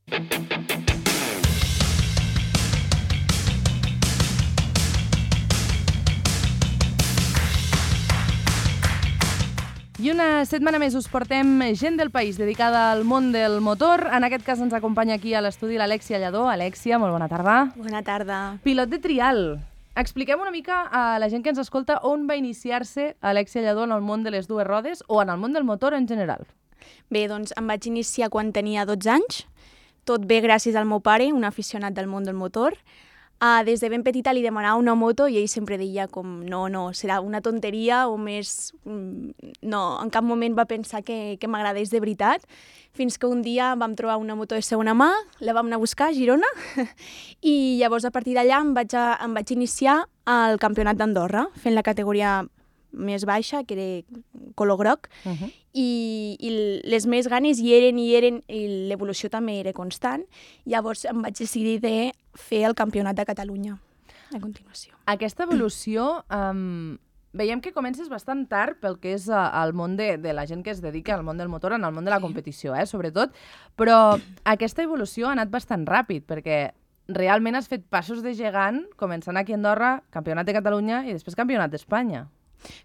I una setmana més us portem gent del país dedicada al món del motor. En aquest cas ens acompanya aquí a l'estudi l'Alèxia Lladó. Alèxia, molt bona tarda. Bona tarda. Pilot de trial. Expliquem una mica a la gent que ens escolta on va iniciar-se Alèxia Lladó en el món de les dues rodes o en el món del motor en general. Bé, doncs em vaig iniciar quan tenia 12 anys. Tot bé gràcies al meu pare, un aficionat del món del motor. Des de ben petita li demanava una moto i ell sempre deia com no, serà una tonteria o més... No, en cap moment va pensar que m'agradés de veritat, fins que un dia vam trobar una moto de segona mà, la vam anar a buscar a Girona i llavors a partir d'allà em vaig iniciar al Campionat d'Andorra, fent la categoria més baixa, que era color groc, i les més ganes hi eren, i l'evolució també era constant. Llavors em vaig decidir de fer el Campionat de Catalunya a continuació. Aquesta evolució veiem que comences bastant tard pel que és el món de la gent que es dedica al món del motor, en el món de la competició, sobretot, però aquesta evolució ha anat bastant ràpid, perquè realment has fet passos de gegant, començant aquí a Andorra, Campionat de Catalunya i després Campionat d'Espanya.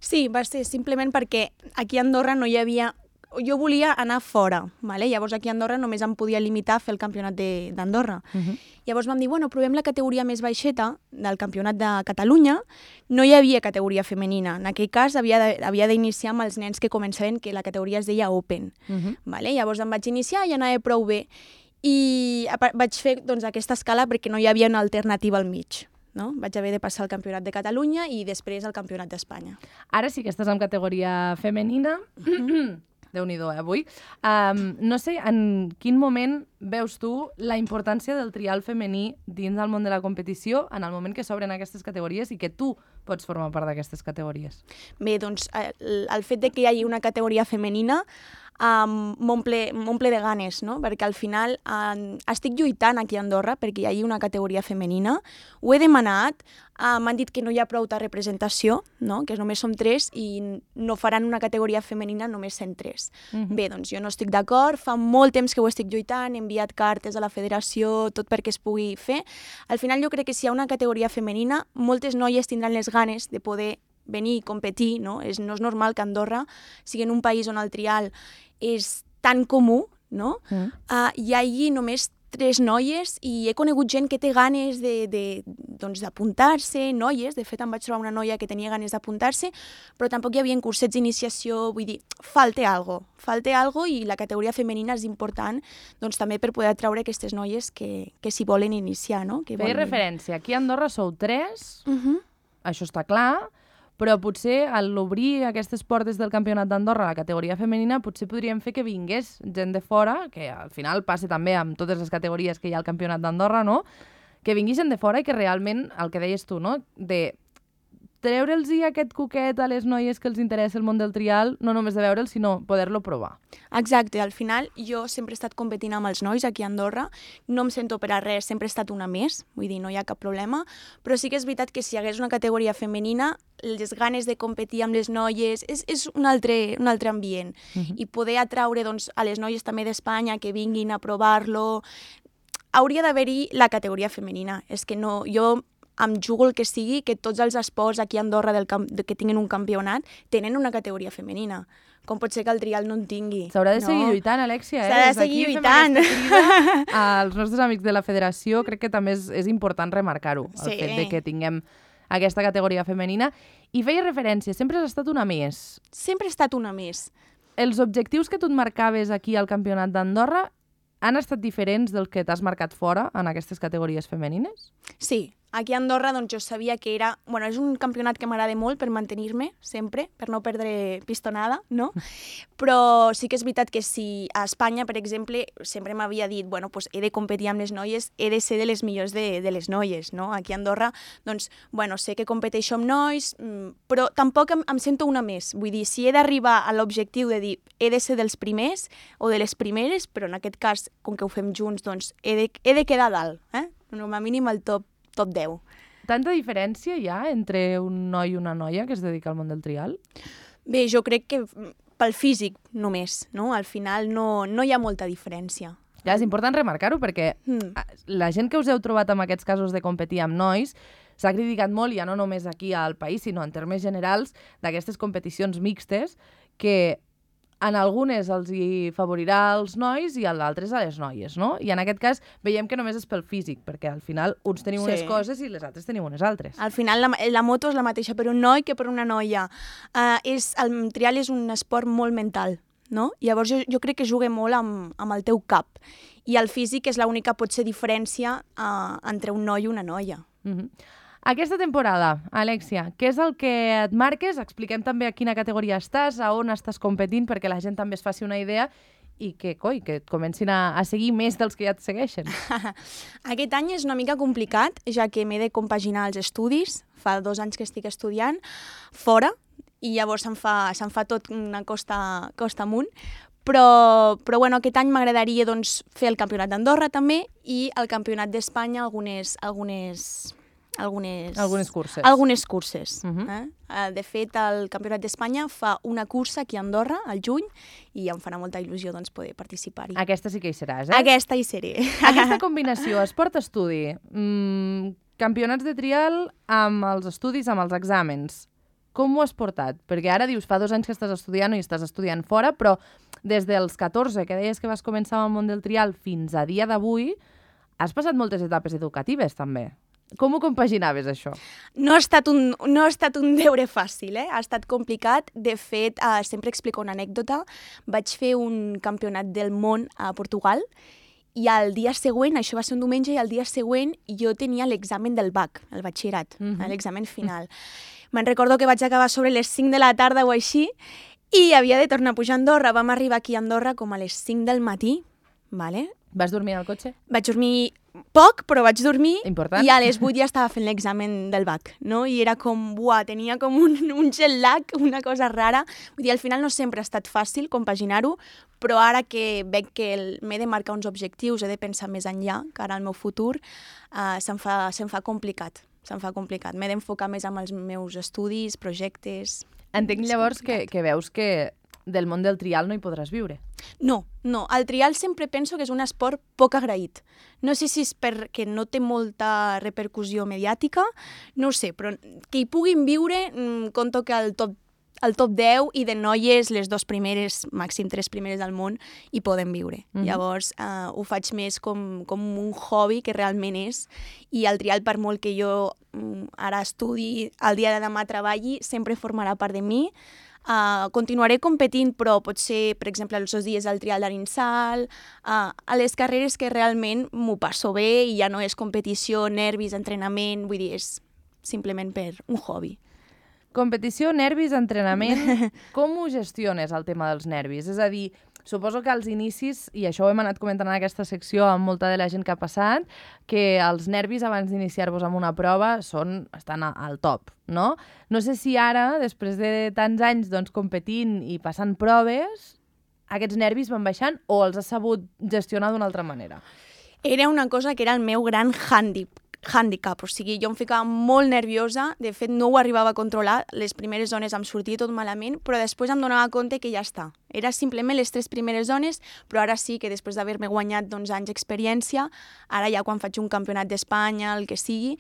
Sí, va ser simplement perquè aquí a Andorra no hi havia... Jo volia anar fora, ¿vale? Llavors aquí a Andorra només em podia limitar a fer el campionat d'Andorra. Llavors vam dir, bueno, provem la categoria més baixeta del campionat de Catalunya. No hi havia categoria femenina. En aquell cas havia d'iniciar amb els nens que començaven, que la categoria es deia Open. ¿Vale? Llavors em vaig iniciar i anava prou bé. I vaig fer doncs, aquesta escala perquè no hi havia una alternativa al mig. No? Vaig haver de passar al Campionat de Catalunya i després al Campionat d'Espanya. Ara sí que estàs en categoria femenina. Déu-n'hi-do, avui. No sé en quin moment veus tu la importància del trial femení dins del món de la competició en el moment que s'obren aquestes categories i que tu pots formar part d'aquestes categories. Bé, doncs el fet de que hi hagi una categoria femenina m'omple de ganes, no? Perquè al final estic lluitant aquí a Andorra perquè hi hagi una categoria femenina, ho he demanat, m'han dit que no hi ha prou representació, no? Que només som 3 i no faran una categoria femenina només sent 3. Bé, doncs jo no estic d'acord, fa molt temps que ho estic lluitant, he enviat cartes a la federació, tot perquè es pugui fer. Al final jo crec que si hi ha una categoria femenina, moltes noies tindran les ganes de poder venir i competir, no? No és normal que Andorra sigui en un país on el trial és tan comú, no? Hi hagi només 3 noies i he conegut gent que té ganes d'apuntar-se, noies, de fet em vaig trobar una noia que tenia ganes d'apuntar-se, però tampoc hi havia cursets d'iniciació, vull dir, falta algo i la categoria femenina és important doncs, també per poder atraure aquestes noies que s'hi volen iniciar, no? Feia referència, aquí a Andorra sou 3, això està clar, però potser a l'obrir aquestes portes del Campionat d'Andorra a la categoria femenina potser podríem fer que vingués gent de fora, que al final passa també amb totes les categories que hi ha al Campionat d'Andorra, no? Que vingui gent de fora i que realment, el que deies tu, no? De treure'ls aquest coquet a les noies que els interessa el món del trial, no només de veure'l, sinó poder-lo provar. Exacte, al final jo sempre he estat competint amb els nois aquí a Andorra, no em sento per a res, sempre he estat una més, vull dir, no hi ha cap problema, però sí que és veritat que si hi hagués una categoria femenina, les ganes de competir amb les noies és un altre ambient, i poder atraure doncs, a les noies també d'Espanya que vinguin a provar-lo, hauria d'haver-hi la categoria femenina, és que no, jo em jugo el que sigui, que tots els esports aquí a Andorra que tinguin un campionat tenen una categoria femenina. Com pot ser que el trial no en tingui? S'haurà de seguir lluitant, Alèxia. S'ha de seguir lluitant. Als nostres amics de la federació crec que també és important remarcar-ho, el fet de que tinguem aquesta categoria femenina. I feia referència, sempre has estat una més. Sempre he estat una més. Els objectius que tu et marcaves aquí al Campionat d'Andorra han estat diferents dels que t'has marcat fora en aquestes categories femenines? Sí. Aquí a Andorra doncs, jo sabia que era... Bueno, és un campionat que m'agrada molt per mantenir-me, sempre, per no perdre pistonada, no? Però sí que és veritat que si a Espanya, per exemple, sempre m'havia dit, bueno, pues he de competir amb les noies, he de ser de les millors de les noies, no? Aquí a Andorra, doncs, bueno, sé que competeixo amb nois, però tampoc em sento una més. Vull dir, si he d'arribar a l'objectiu de dir he de ser dels primers o de les primeres, però en aquest cas, com que ho fem junts, doncs he de quedar a dalt, com a mínim al top 10. Tanta diferència hi ha entre un noi i una noia que es dedica al món del trial? Bé, jo crec que pel físic només, no? Al final no hi ha molta diferència. Ja, és important remarcar-ho perquè la gent que us heu trobat amb aquests casos de competir amb nois s'ha criticat molt, ja no només aquí al país, sinó en termes generals, d'aquestes competicions mixtes que en algunes els hi favorirà els nois i en d'altres a les noies, no? I en aquest cas veiem que només és pel físic, perquè al final uns tenim unes coses i les altres tenim unes altres. Al final la moto és la mateixa per un noi que per una noia. El trial és un esport molt mental, no? Llavors jo crec que juga molt amb el teu cap. I el físic és l'única potser diferència entre un noi i una noia. Aquesta temporada, Alexia, què és el que et marques? Expliquem també a quina categoria estàs, a on estàs competint, perquè la gent també es faci una idea i que et comencin a seguir més dels que ja et segueixen. Aquest any és una mica complicat, ja que m'he de compaginar els estudis. Fa 2 anys que estic estudiant fora i llavors se'n fa tot una costa amunt. Però bueno, aquest any m'agradaria doncs, fer el Campionat d'Andorra també i el Campionat d'Espanya algunes curses. Algunes curses. De fet, el Campionat d'Espanya fa una cursa aquí a Andorra, al juny, i em farà molta il·lusió doncs, poder participar-hi. Aquesta sí que hi seràs, eh? Aquesta hi seré. Aquesta combinació, esport-estudi, campionats de trial amb els estudis, amb els exàmens, com ho has portat? Perquè ara dius, fa 2 anys que estàs estudiant i estàs estudiant fora, però des dels 14, que deies que vas començar amb el món del trial, fins a dia d'avui, has passat moltes etapes educatives, també. Com ho compaginaves, això? No ha estat un deure fàcil, ha estat complicat. De fet, sempre explico una anècdota. Vaig fer un campionat del món a Portugal i el dia següent, això va ser un diumenge, i el dia següent jo tenia l'examen del BAC, el batxillerat, l'examen final. Me'n recordo que vaig acabar sobre les 5 de la tarda o així i havia de tornar a pujar a Andorra. Vam arribar aquí a Andorra com a les 5 del matí, ¿vale? Vas dormir al cotxe? Vaig dormir poc, però vaig dormir. Important. I a les 8 ja estava fent l'examen del BAC, no? I era com, tenia com un jet lag, una cosa rara. Vull dir, al final no sempre ha estat fàcil compaginar-ho, però ara que veig que m'he de marcar uns objectius, he de pensar més enllà, que ara el meu futur, se'm fa complicat. M'he d'enfocar més en els meus estudis, projectes... Entenc llavors que veus que del món del trial no hi podràs viure. No. El trial sempre penso que és un esport poc agraït. No sé si és perquè no té molta repercussió mediàtica, no ho sé, però que hi puguin viure, conto que el top 10 i de noies, les 2 primeres, màxim 3 primeres del món, hi poden viure. Llavors, ho faig més com un hobby que realment és, i el trial, per molt que jo ara estudi, el dia de demà treballi, sempre formarà part de mi. Continuaré competint, però potser, per exemple, els 2 dies del trial d'Arinsal, a les carreres que realment m'ho passo bé i ja no és competició, nervis, entrenament, vull dir, és simplement per un hobby. Competició, nervis, entrenament... Com ho gestiones, el tema dels nervis? És a dir, suposo que als inicis, i això ho hem anat comentant en aquesta secció amb molta de la gent que ha passat, que els nervis abans d'iniciar-vos amb una prova estan al top, no? No sé si ara, després de tants anys competint i passant proves, aquests nervis van baixant o els has sabut gestionar d'una altra manera? Era una cosa que era el meu gran handicap, o sigui, jo em ficava molt nerviosa, de fet no ho arribava a controlar, les primeres zones em sortia tot malament, però després em donava compte que ja està. Era simplement les 3 primeres zones, però ara sí que després d'haver-me guanyat anys d'experiència, ara ja quan faig un campionat d'Espanya, el que sigui,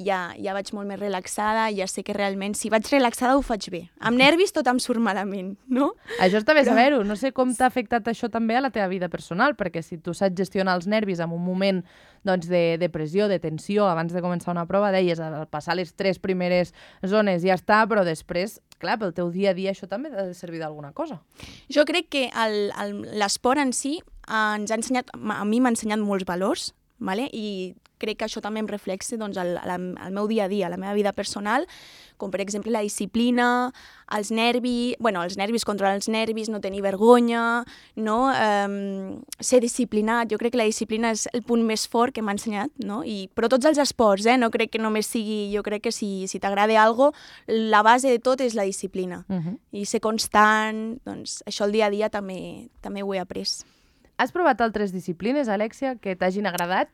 ja vaig molt més relaxada, ja sé que realment si vaig relaxada ho faig bé. Amb nervis tot em surt malament, no? Això està bé saber-ho. No sé com t'ha afectat això també a la teva vida personal, perquè si tu saps gestionar els nervis en un moment de pressió, de tensió, abans de començar una prova, deies, al passar les 3 primeres zones ja està, però després, clar, pel teu dia a dia això també ha de servir d'alguna cosa. Jo crec que l'esport en si ens ha ensenyat, a mi m'ha ensenyat molts valors, vale? I crec que això també em reflexa al meu dia a dia, a la meva vida personal, com per exemple la disciplina, els nervis, controlar els nervis, no tenir vergonya, no? Ser disciplinat. Jo crec que la disciplina és el punt més fort que m'ha ensenyat, no? Però tots els esports, no crec que només sigui... Jo crec que si t'agrada alguna cosa, la base de tot és la disciplina. I ser constant, doncs això el dia a dia també ho he après. Has provat altres disciplines, Alexia, que t'hagin agradat?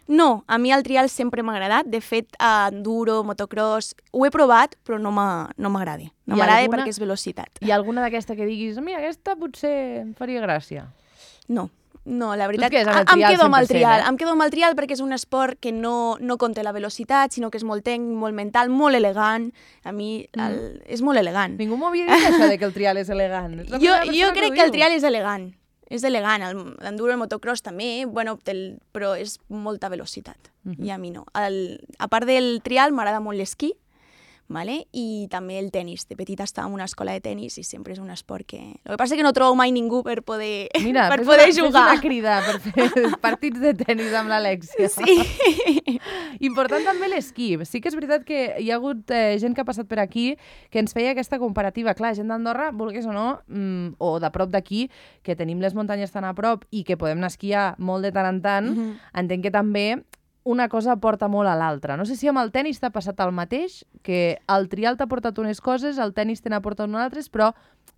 No, a mi el trial sempre m'ha agradat. De fet, enduro, motocross, ho he provat, però no m'agrada. No m'agrada perquè és velocitat. Hi ha alguna d'aquesta que diguis, mira, aquesta potser em faria gràcia? No, No, la veritat, Tu et quedes amb el em trial quedo amb el 100%, trial. Em quedo amb el trial perquè és un esport que no conté la velocitat, sinó que és molt tècnic, molt mental, molt elegant. A mi és molt elegant. Ningú m'havia dit això de que el trial és elegant. És la Jo primera persona crec ho que el diu. trial és elegant. És elegant. L'enduro, el motocross també, bueno, però és molta velocitat. I a mi no. A part del trial, m'agrada molt l'esquí, vale? I també el tennis. De petita estava en una escola de tennis i sempre és un esport que... El que passa és que no trobo mai ningú per poder, Mira, per poder jugar. Fes una crida per fer partits de tennis amb l'Alexia. Sí. Important també l'esquí. Sí que és veritat que hi ha hagut gent que ha passat per aquí que ens feia aquesta comparativa. Clar, gent d'Andorra, vulguis o no, o de prop d'aquí, que tenim les muntanyes tan a prop i que podem anar a esquiar molt de tant en tant, entenc que també una cosa porta molt a l'altra. No sé si amb el tennis t'ha passat el mateix, que el trial t'ha portat unes coses, el tennis te n'ha portat unes altres, però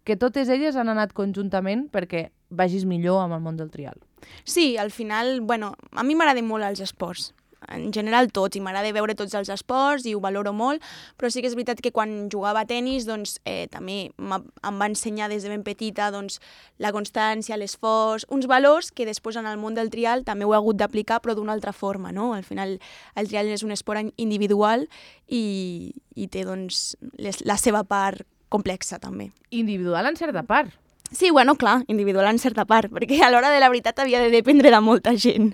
que totes elles han anat conjuntament perquè vagis millor amb el món del trial. Sí, al final, bueno, a mi m'agraden molt els esports. En general tots, i m'agrada veure tots els esports i ho valoro molt, però sí que és veritat que quan jugava a tennis doncs, també em va ensenyar des de ben petita doncs, la constància, l'esforç, uns valors que després en el món del trial també ho he hagut d'aplicar però d'una altra forma, no? Al final el trial és un esport individual i té doncs, la seva part complexa també. Individual en certa part. Sí, bueno, clar, individual en certa part, perquè a l'hora de la veritat havia de dependre de molta gent.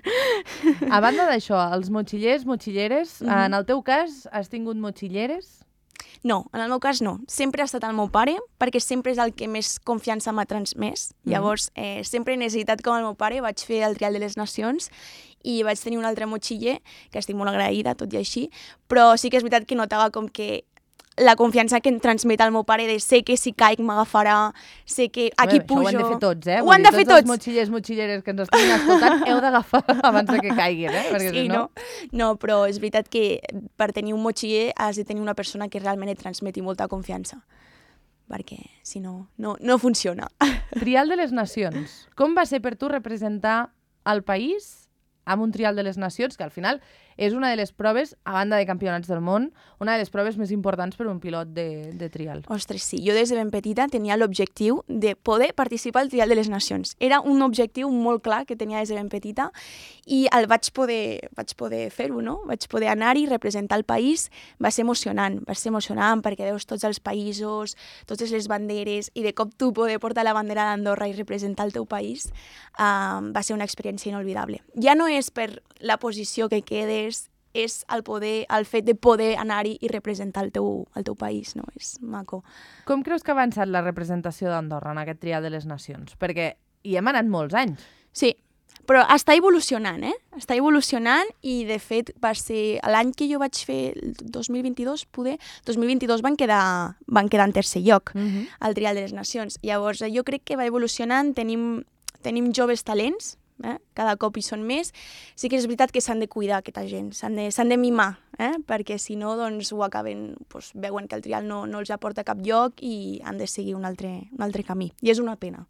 A banda d'això, els motxillers, motxilleres, en el teu cas has tingut motxilleres? No, en el meu cas no. Sempre ha estat el meu pare, perquè sempre és el que més confiança m'ha transmès. Llavors, sempre he necessitat com el meu pare, vaig fer el Trial de les Nacions i vaig tenir un altre motxiller, que estic molt agraïda, tot i així, però sí que és veritat que notava com que la confiança que em transmet el meu pare de sé que si caic m'agafarà, sé que aquí pujo... Això ho han de fer tots, eh? Ho han de fer tots. Tots els motxillers, motxilleres que ens estiguin escoltant heu d'agafar abans de que caiguin, eh? Perquè Sí, si no... no, però és veritat que per tenir un motxiller has de tenir una persona que realment et transmeti molta confiança, perquè si no, no funciona. Trial de les Nacions. Com va ser per tu representar el país amb un Trial de les Nacions, que al final és una de les proves, a banda de campionats del món, una de les proves més importants per un pilot de trial. Ostres, sí. Jo des de ben petita tenia l'objectiu de poder participar al Trial de les Nacions. Era un objectiu molt clar que tenia des de ben petita i el vaig poder fer-ho, no? Vaig poder anar-hi, representar el país. Va ser emocionant perquè veus tots els països, totes les banderes i de cop tu poder portar la bandera d'Andorra i representar el teu país va ser una experiència inolvidable. Ja no és per la posició que quedes, és el fet de poder anar-hi i representar el teu país, no? És maco. Com creus que ha avançat la representació d'Andorra en aquest Trial de les Nacions? Perquè hi hem anat molts anys. Sí, però està evolucionant, Està evolucionant i, de fet, va ser l'any que jo vaig fer, el 2022, poder, 2022 van quedar en tercer lloc al Trial de les Nacions. Llavors, jo crec que va evolucionant, tenim joves talents, cada cop hi són més. Sí que és veritat que s'han de cuidar aquesta gent, s'han de mimar, perquè si no doncs, ho acaben, doncs, veuen que el trial no els aporta a cap lloc i han de seguir un altre camí. I és una pena.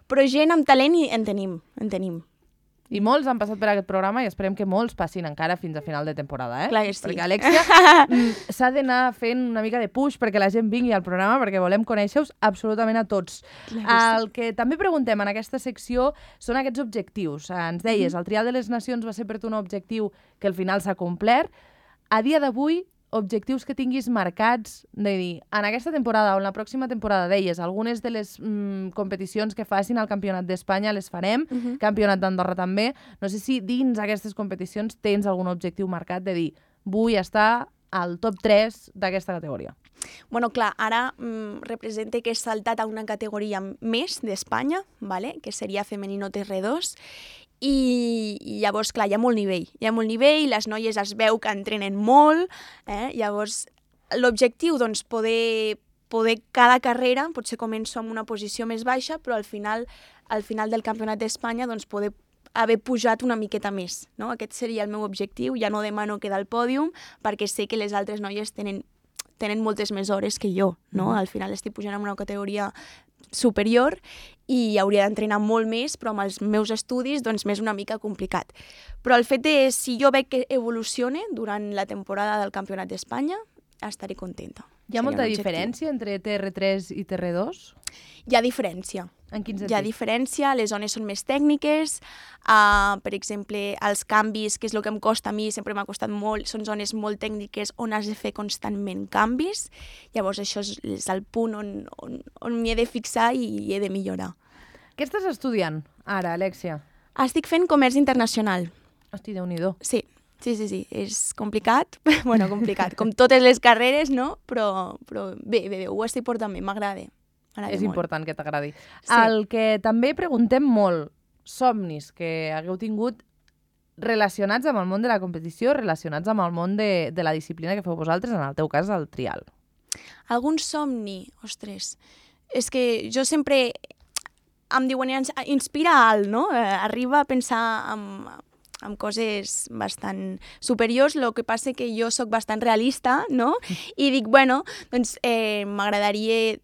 Però gent amb talent en tenim. I molts han passat per aquest programa i esperem que molts passin encara fins a final de temporada, Clar que sí. Perquè, Alexia, s'ha d'anar fent una mica de push perquè la gent vingui al programa, perquè volem conèixer-vos absolutament a tots. El que també preguntem en aquesta secció són aquests objectius. Ens deies, el Trial de les Nacions va ser per tu un objectiu que al final s'ha complert. A dia d'avui, objectius que tinguis marcats, de dir, en aquesta temporada o en la pròxima temporada, deies, algunes de les competicions que facin al Campionat d'Espanya les farem, Campionat d'Andorra també. No sé si dins aquestes competicions tens algun objectiu marcat de dir, vull estar al top 3 d'aquesta categoria. Bueno, clar, ara representa que he saltat a una categoria més d'Espanya, vale? Que seria femenino TR2, i llavors, clar, hi ha molt nivell, les noies es veu que entrenen molt, llavors l'objectiu, doncs, poder cada carrera, potser començo amb una posició més baixa, però al final del Campionat d'Espanya, doncs, poder haver pujat una miqueta més, no? Aquest seria el meu objectiu, ja no demano quedar al pòdium, perquè sé que les altres noies tenen moltes més hores que jo, no? Al final estic pujant en una categoria superior i hauria d'entrenar molt més, però amb els meus estudis doncs m'és una mica complicat. Però el fet si jo veig que evolucione durant la temporada del Campionat d'Espanya, estaré contenta. Hi ha molta diferència entre TR3 i TR2? Hi ha diferència. En quin sentit? Hi ha diferència, les zones són més tècniques, per exemple, els canvis, que és el que em costa a mi, sempre m'ha costat molt, són zones molt tècniques on has de fer constantment canvis, llavors això és el punt on m'hi he de fixar i he de millorar. Què estàs estudiant ara, Alexia? Estic fent comerç internacional. Hosti, Déu-n'hi-do. Sí, és complicat, bueno, complicat, com totes les carreres, no? Però bé, ho estic portant bé, m'agrada. És important que t'agradi. Sí. El que també preguntem molt, somnis que hagueu tingut relacionats amb el món de la competició, relacionats amb el món de la disciplina que feu vosaltres, en el teu cas, el trial. Algun somni? Ostres, és que jo sempre em diuen, inspira alt, no? Arriba a pensar amb coses bastant superiors, el que passa que jo sóc bastant realista, no? I dic, bueno, doncs m'agradaria...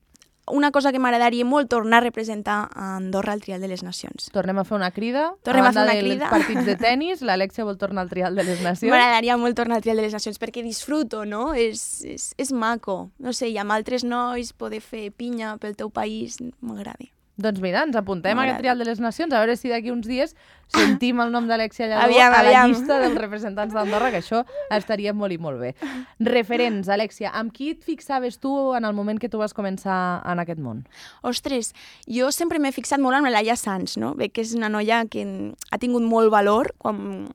Una cosa que m'agradaria molt, tornar a representar a Andorra al Trial de les Nacions. Tornem a fer una crida. Tornem a fer una dels crida. partits de tennis, l'Alexia vol tornar al Trial de les Nacions. M'agradaria molt tornar al Trial de les Nacions perquè disfruto, no? És maco. No sé, i amb altres nois poder fer pinya pel teu país m'agrada. Doncs mira, ens apuntem a aquest Trial de les Nacions, a veure si d'aquí uns dies sentim el nom d'Alexia Lladó a la llista dels representants d'Andorra, que això estaria molt i molt bé. Referents, Alexia, amb qui et fixaves tu en el moment que tu vas començar en aquest món? Ostres, jo sempre m'he fixat molt en la Laia Sanz, no? Bé que és una noia que ha tingut molt valor quan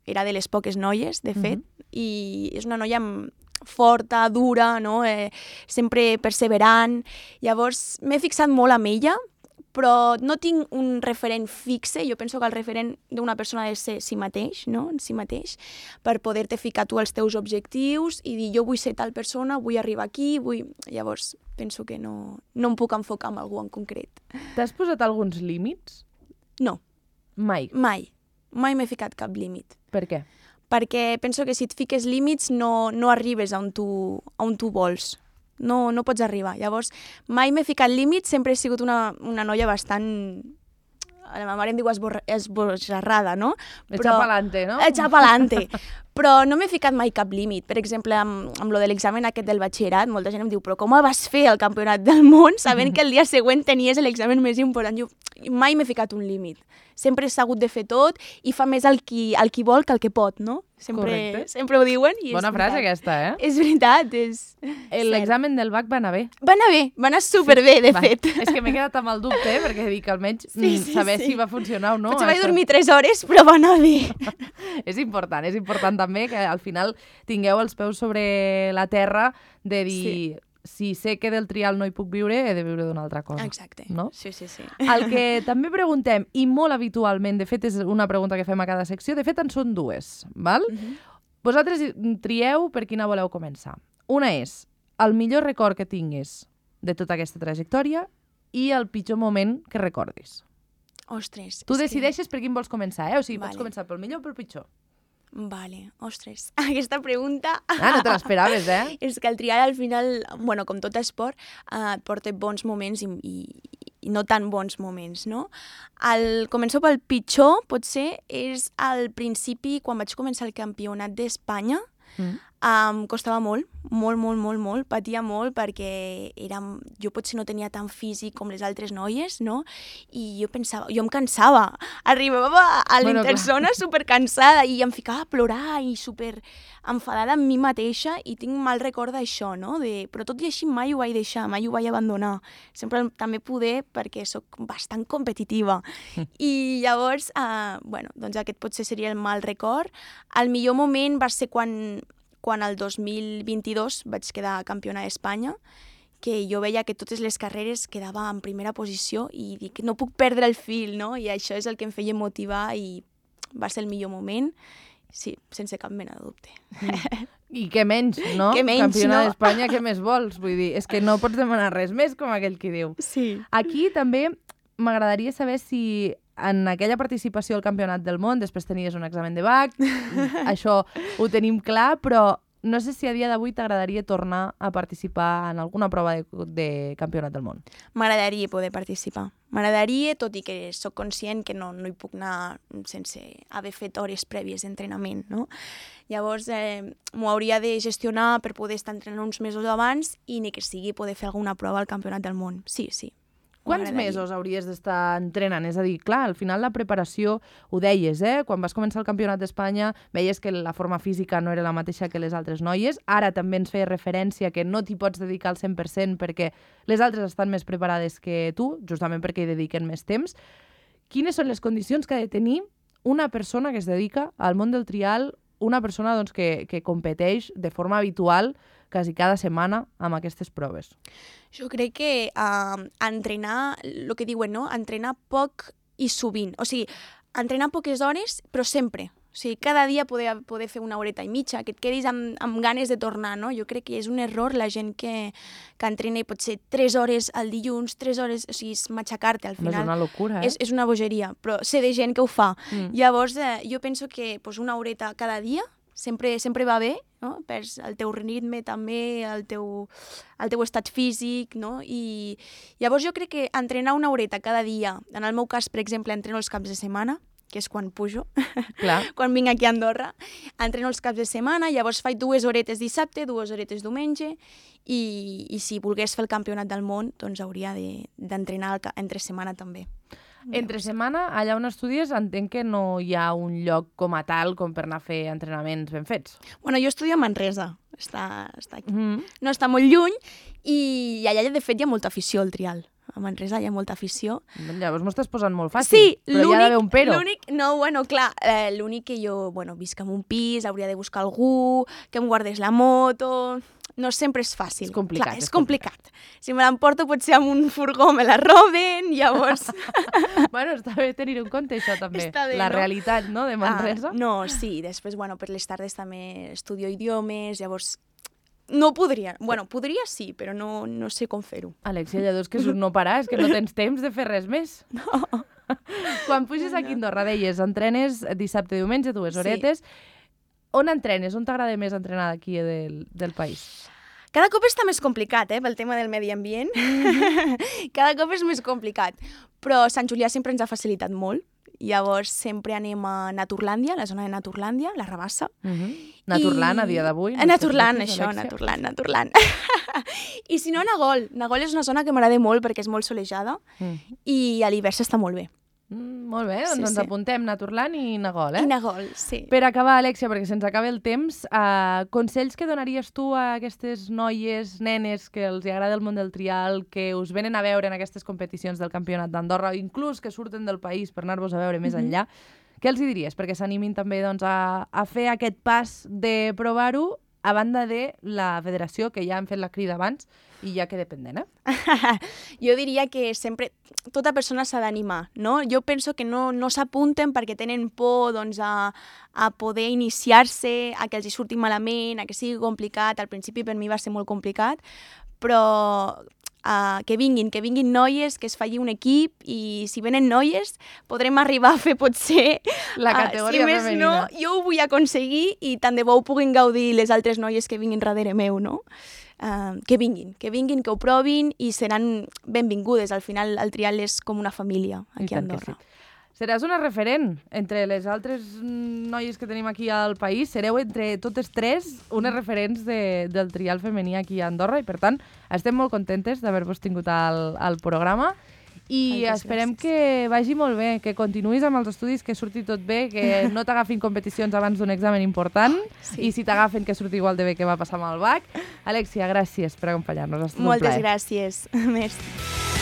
era de les poques noies, de fet, i és una noia forta, dura, no? Sempre perseverant. Llavors, m'he fixat molt en ella, però no tinc un referent fixe. Jo penso que el referent d'una persona ha de ser si mateix, no? En si mateix, per poder-te ficar tu els teus objectius i dir jo vull ser tal persona, vull arribar aquí, Llavors, penso que no em puc enfocar en algú en concret. T'has posat alguns límits? No. Mai? Mai m'he ficat cap límit. Per què? Perquè penso que si et fiques límits no arribes on tu vols. No pots arribar. Llavors, mai m'he ficat límits, sempre he sigut una noia bastant... La meva mare em diu esbojarrada, no? Echa pa'lante, no? Echa pa'lante. Però no m'he ficat mai cap límit. Per exemple, amb lo de l'examen aquest del batxillerat, molta gent em diu, però com el vas fer al campionat del món sabent que el dia següent tenies l'examen més important? Jo mai m'he ficat un límit. Sempre he sabut de fer tot i fa més el qui vol que el que pot, no? Sempre ho diuen. I bona frase aquesta, eh? És veritat, l'examen del BAC va anar bé. Va anar superbé, de fet. És que m'he quedat amb el dubte, perquè dic almenys saber si va funcionar o no. Potser vaig dormir 3 hores, però va anar bé. És important també que al final tingueu els peus sobre la terra de dir... Si sé que del trial no hi puc viure, he de viure d'una altra cosa. Exacte. No? Sí. El que també preguntem, i molt habitualment, de fet és una pregunta que fem a cada secció, de fet en són dues, val? Vosaltres trieu per quina voleu començar. Una és el millor record que tinguis de tota aquesta trajectòria i el pitjor moment que recordis. Ostres. Tu decideixes per quin vols començar, O sigui, pots començar pel millor o pel pitjor. Vale, ostres, aquesta pregunta... No te l'esperaves, És que el trial al final, bueno, com tot esport, et porta bons moments i no tan bons moments, no? Començo pel pitjor, potser, és al principi, quan vaig començar el campionat d'Espanya, em costava molt, patia molt perquè jo potser no tenia tant físic com les altres noies, no? I jo em cansava, arribava a l'interzona supercansada i em ficava a plorar i super enfadada amb mi mateixa i tinc mal record d'això, no? Però tot i així mai ho vaig deixar, mai ho vaig abandonar. Sempre també poder perquè sóc bastant competitiva. I llavors, doncs aquest potser seria el mal record. El millor moment va ser quan el 2022 vaig quedar campiona d'Espanya, que jo veia que totes les carreres quedava en primera posició i dic, no puc perdre el fil, no? I això és el que em feia motivar i va ser el millor moment, sí, sense cap mena de dubte. I què menys, no? Campiona d'Espanya, què més vols? Vull dir, és que no pots demanar res més, com aquell qui diu. Sí. Aquí també m'agradaria saber si en aquella participació al Campionat del Món després tenies un examen de BAC, això ho tenim clar, però no sé si a dia d'avui t'agradaria tornar a participar en alguna prova de Campionat del Món. M'agradaria poder participar, M'agradaria, tot i que sóc conscient que no hi puc anar sense haver fet hores prèvies d'entrenament, no? Llavors, m'ho hauria de gestionar per poder estar entrenant uns mesos abans i ni que sigui poder fer alguna prova al Campionat del Món. Sí. Quants mesos hauries d'estar entrenant? És a dir, clar, al final la preparació, ho deies, quan vas començar el Campionat d'Espanya veies que la forma física no era la mateixa que les altres noies, ara també ens feia referència que no t'hi pots dedicar al 100% perquè les altres estan més preparades que tu, justament perquè hi dediquen més temps. Quines són les condicions que ha de tenir una persona que es dedica al món del trial, una persona doncs, que competeix de forma habitual quasi cada setmana amb aquestes proves? Jo crec que entrenar, el que diuen, no? Entrenar poc i sovint. O sigui, entrenar poques hores, però sempre. O sigui, cada dia poder fer una horeta i mitja, que et quedis amb ganes de tornar, no? Jo crec que és un error la gent que entrena i pot ser 3 hores al dilluns, 3 hores, o sigui, és matxacar-te al final. És una locura, És una bogeria, però sé de gent que ho fa. Llavors, jo penso que una horeta cada dia sempre va bé, no? Perds el teu ritme també, el teu estat físic, no? I llavors jo crec que entrenar una horeta cada dia, en el meu cas, per exemple, entreno els caps de setmana, que és quan pujo, quan vinc aquí a Andorra, entreno els caps de setmana, llavors faig 2 horetes dissabte, 2 horetes diumenge, i si volgués fer el Campionat del Món, doncs hauria d'entrenar entre setmana també. Entre setmana, allà on estudies, entenc que no hi ha un lloc com a tal com per anar a fer entrenaments ben fets. Bueno, jo estudio a Manresa, està aquí. No està molt lluny, i allà, de fet, hi ha molta afició al trial. A Manresa hi ha molta afició. Llavors m'ho estàs posant molt fàcil, però hi ha d'haver un però. L'únic que jo, visc en un pis, hauria de buscar algú, que em guardés la moto... No sempre és fàcil. És complicat. Clar, és complicat. Si me l'emporto potser amb un furgó me la roben, llavors... Bueno, està bé tenir en compte això també, bé, la realitat, no?, de Manresa. Sí, després, per les tardes també estudio idiomes, llavors... No podria, podria sí, però no sé com fer-ho. Alexia, llavors és que és un no parar, és que no tens temps de fer res més. No. Quan puges aquí a Andorra, deies, entrenes dissabte i diumenge, 2 horetes. On entrenes? On t'agrada més entrenar d'aquí del país? Cada cop està més complicat, pel tema del medi ambient. Cada cop és més complicat. Però Sant Julià sempre ens ha facilitat molt. Llavors sempre anem a Naturlàndia, la zona de Naturlàndia, la Rabassa. Naturland, a dia d'avui. Naturland. I si no, Nagol. Nagol és una zona que m'agrada molt perquè és molt solejada i a l'hivern s'està molt bé. Molt bé, doncs ens apuntem Naturland i Nagol, I Nagol, sí. Per acabar, Alexia, perquè se'ns acaba el temps, consells que donaries tu a aquestes noies, nenes, que els agrada el món del trial, que us venen a veure en aquestes competicions del Campionat d'Andorra, inclús que surten del país per anar-vos a veure més enllà, què els hi diries? Perquè s'animin també a fer aquest pas de provar-ho, a banda de la federació, que ja han fet la crida abans i ja queda pendent, Jo diria que sempre tota persona s'ha d'animar, no? Jo penso que no s'apunten perquè tenen por a poder iniciar-se, a que els hi surti malament, a que sigui complicat. Al principi per mi va ser molt complicat, però que vinguin noies, que es faci un equip, i si venen noies podrem arribar a fer potser la categoria femenina. Si més no, jo ho vull aconseguir i tant de bo ho puguin gaudir les altres noies que vinguin darrere meu, no? Que vinguin, que ho provin i seran benvingudes. Al final el trial és com una família aquí a Andorra. Seràs una referent entre les altres noies que tenim aquí al país. Sereu entre totes tres unes referents del trial femení aquí a Andorra i, per tant, estem molt contentes d'haver-vos tingut al programa i esperem que vagi molt bé, que continuïs amb els estudis, que surti tot bé, que no t'agafin competicions abans d'un examen important i si t'agafen que surti igual de bé que va passar amb el BAC. Alexia, gràcies per acompanyar-nos. Ha estat un plaer. Moltes gràcies. Merci.